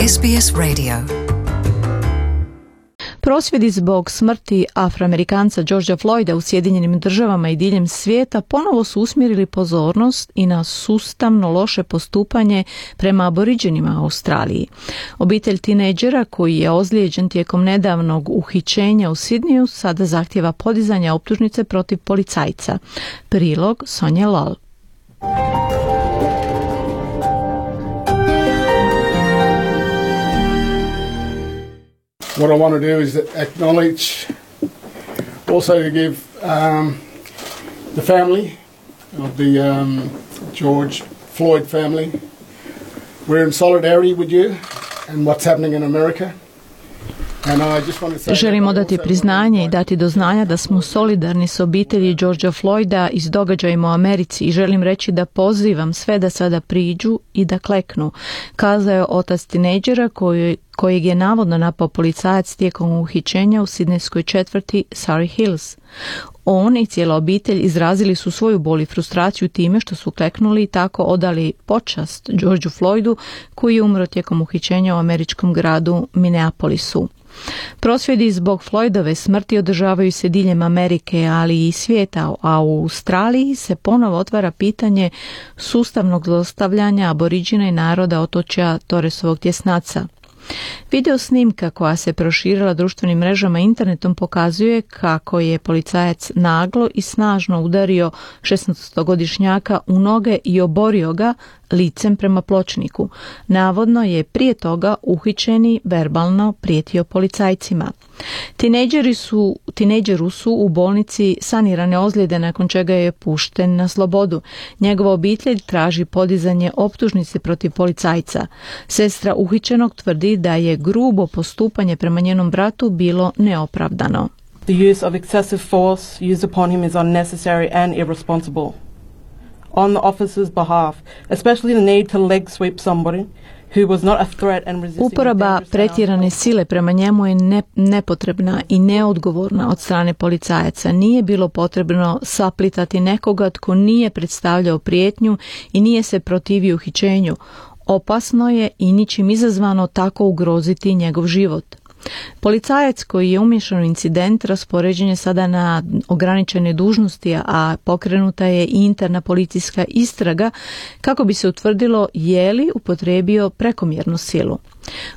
SBS Radio. Prosvjedi zbog smrti Afroamerikanca Georgea Floyda u Sjedinjenim Državama i diljem svijeta ponovo su usmjerili pozornost i na sustavno loše postupanje prema aboriđenima u Australiji. Obitelj tinejdžera koji je ozlijeđen tijekom nedavnog uhićenja u Sidniju sada zahtjeva podizanje optužnice protiv policajca. Prilog Sonje Lal. What I want to do is acknowledge, also to give the family of the George Floyd family. We're in solidarity with you and what's happening in America. Želimo dati priznanje i dati do znanja da smo solidarni s obitelji Georgea Floyda i s događajima u Americi i želim reći da pozivam sve da sada priđu i da kleknu, kazao je otac tinejdžera kojeg je navodno napao policajac tijekom uhićenja u sidnejskoj četvrti Surry Hills. On i cijela obitelj izrazili su svoju bol i frustraciju time što su kleknuli i tako odali počast Georgeu Floydu koji je umro tijekom uhićenja u američkom gradu Minneapolisu. Prosvjedi zbog Floydove smrti održavaju se diljem Amerike, ali i svijeta, a u Australiji se ponovo otvara pitanje sustavnog zlostavljanja aboriđina i naroda otočja Torresovog tjesnaca. Video snimka koja se proširila društvenim mrežama i internetom pokazuje kako je policajac naglo i snažno udario 16-godišnjaka u noge i oborio ga licem prema pločniku. Navodno je prije toga uhićeni verbalno prijetio policajcima. Tinejdžeru su u bolnici sanirane ozljede nakon čega je pušten na slobodu. Njegova obitelj traži podizanje optužnice protiv policajca. Sestra uhićenog tvrdi da je grubo postupanje prema njenom bratu bilo neopravdano. The use of excessive force used upon him is unnecessary and irresponsible. On the officer's behalf, especially the need to leg sweep somebody who was not a threat and resisting. Uporaba pretjerane sile prema njemu je nepotrebna i neodgovorna od strane policajaca. Nije bilo potrebno saplitati nekoga tko nije predstavljao prijetnju i nije se protivio uhićenju. Opasno je i ničim izazvano tako ugroziti njegov život. Policajac koji je umiješan u incident raspoređen je sada na ograničene dužnosti, a pokrenuta je i interna policijska istraga kako bi se utvrdilo je li upotrijebio prekomjernu silu.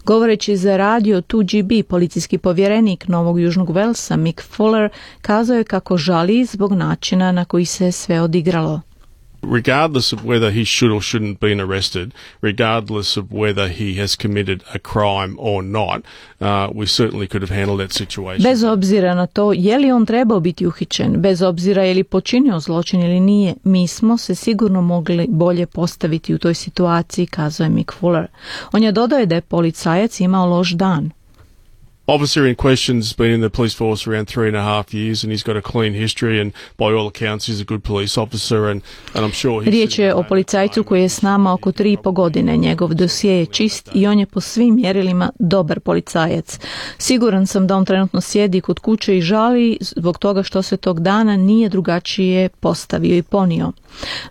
Govoreći za radio 2GB, policijski povjerenik Novog Južnog Velsa Mick Fuller kazao je kako žali zbog načina na koji se sve odigralo. Regardless of whether he should or shouldn't been arrested, regardless of whether he has committed a crime or not, we certainly could have handled that situation. Bez obzira na to je li on trebao biti uhićen, bez obzira je li počinio zločin ili nije, mi smo se sigurno mogli bolje postaviti u toj situaciji, kazao je Mick Fuller. On je dodao da je policajac imao loš dan. Officer in question has been in the police force around 3.5 years and he's got a clean history and by all accounts he's a good police officer and I'm sure Riječ je o policajcu koji je s nama oko 3,5 godine. Njegov dosije je čist i on je po svim mjerilima dobar policajac. Siguran sam da on trenutno sjedi kod kuće i žali zbog toga što se tog dana nije drugačije postavio i ponio.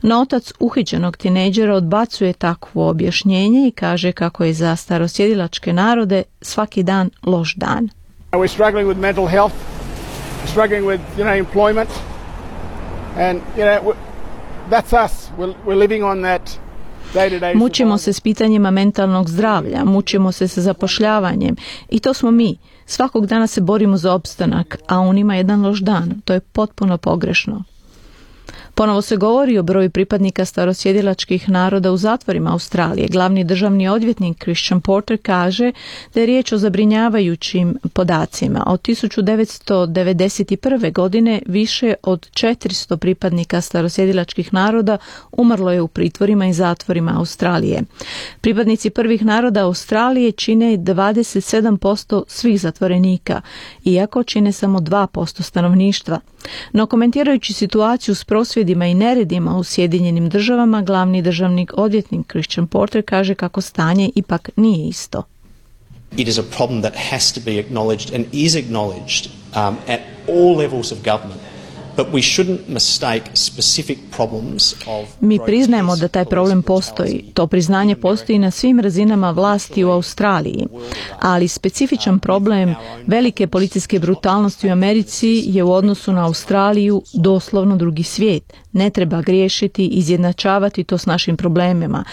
No otac uhićenog tinejdžera odbacuje takvo objašnjenje i kaže kako je za starosjedilačke narode svaki dan loš dan. We're struggling with mental health, we're struggling with, employment, and, that's us. We're living on that day-to-day. Mučimo se s pitanjima mentalnog zdravlja, mučimo se sa zapošljavanjem i to smo mi. Svakog dana se borimo za opstanak, a on ima jedan loš dan. To je potpuno pogrešno. Ponovo se govori o broju pripadnika starosjedilačkih naroda u zatvorima Australije. Glavni državni odvjetnik Christian Porter kaže da je riječ o zabrinjavajućim podacima. Od 1991. godine više od 400 pripadnika starosjedilačkih naroda umrlo je u pritvorima i zatvorima Australije. Pripadnici prvih naroda Australije čine 27% svih zatvorenika, iako čine samo 2% stanovništva. No komentirajući situaciju s prosvjedima i neredima u Sjedinjenim Državama, glavni državni odvjetnik Christian Porter kaže kako stanje ipak nije isto. It is a problem that has to be acknowledged and is acknowledged at all levels of government. Mi priznajemo da taj problem postoji. To priznanje postoji na svim razinama vlasti u Australiji. Ali specifičan problem velike policijske brutalnosti u Americi je u odnosu na Australiju doslovno drugi svijet. Ne treba griješiti, izjednačavati to s našim problemima.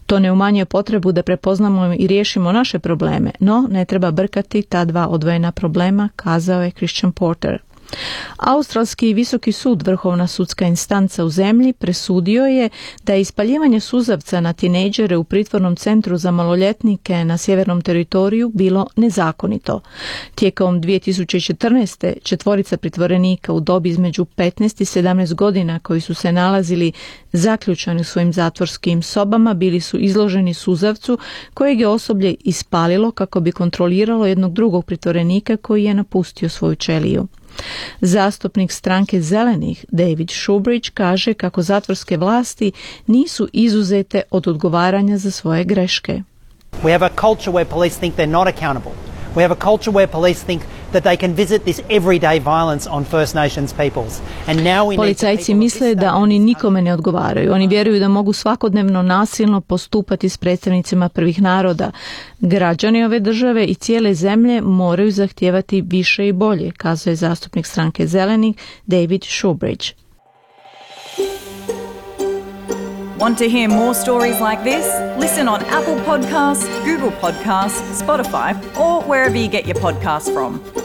To ne umanjuje potrebu da prepoznamo i riješimo naše probleme, no ne treba brkati ta dva odvojena problema, kazao je Christian Porter. Australski visoki sud, vrhovna sudska instanca u zemlji, presudio je da je ispaljivanje suzavca na tinejdžere u pritvornom centru za maloljetnike na sjevernom teritoriju bilo nezakonito. Tijekom 2014. 4 pritvorenika u dobi između 15 i 17 godina koji su se nalazili zaključani u svojim zatvorskim sobama bili su izloženi suzavcu kojeg je osoblje ispalilo kako bi kontroliralo jednog drugog pritvorenika koji je napustio svoju ćeliju. Zastupnik stranke Zelenih David Shoebridge kaže kako zatvorske vlasti nisu izuzete od odgovaranja za svoje greške. We have a culture where police think they're not accountable. We have a culture where police think that they can visit this everyday violence on First Nations peoples. And now we Policajci misle da oni nikome ne odgovaraju. Oni vjeruju da mogu svakodnevno nasilno postupati s predstavnicima prvih naroda. Građani ove države i cijele zemlje moraju zahtijevati više i bolje, kazuje zastupnik stranke Zelenih David Shoebridge. Want to hear more stories like this? Listen on Apple Podcasts, Google Podcasts, Spotify, or wherever you get your podcasts from.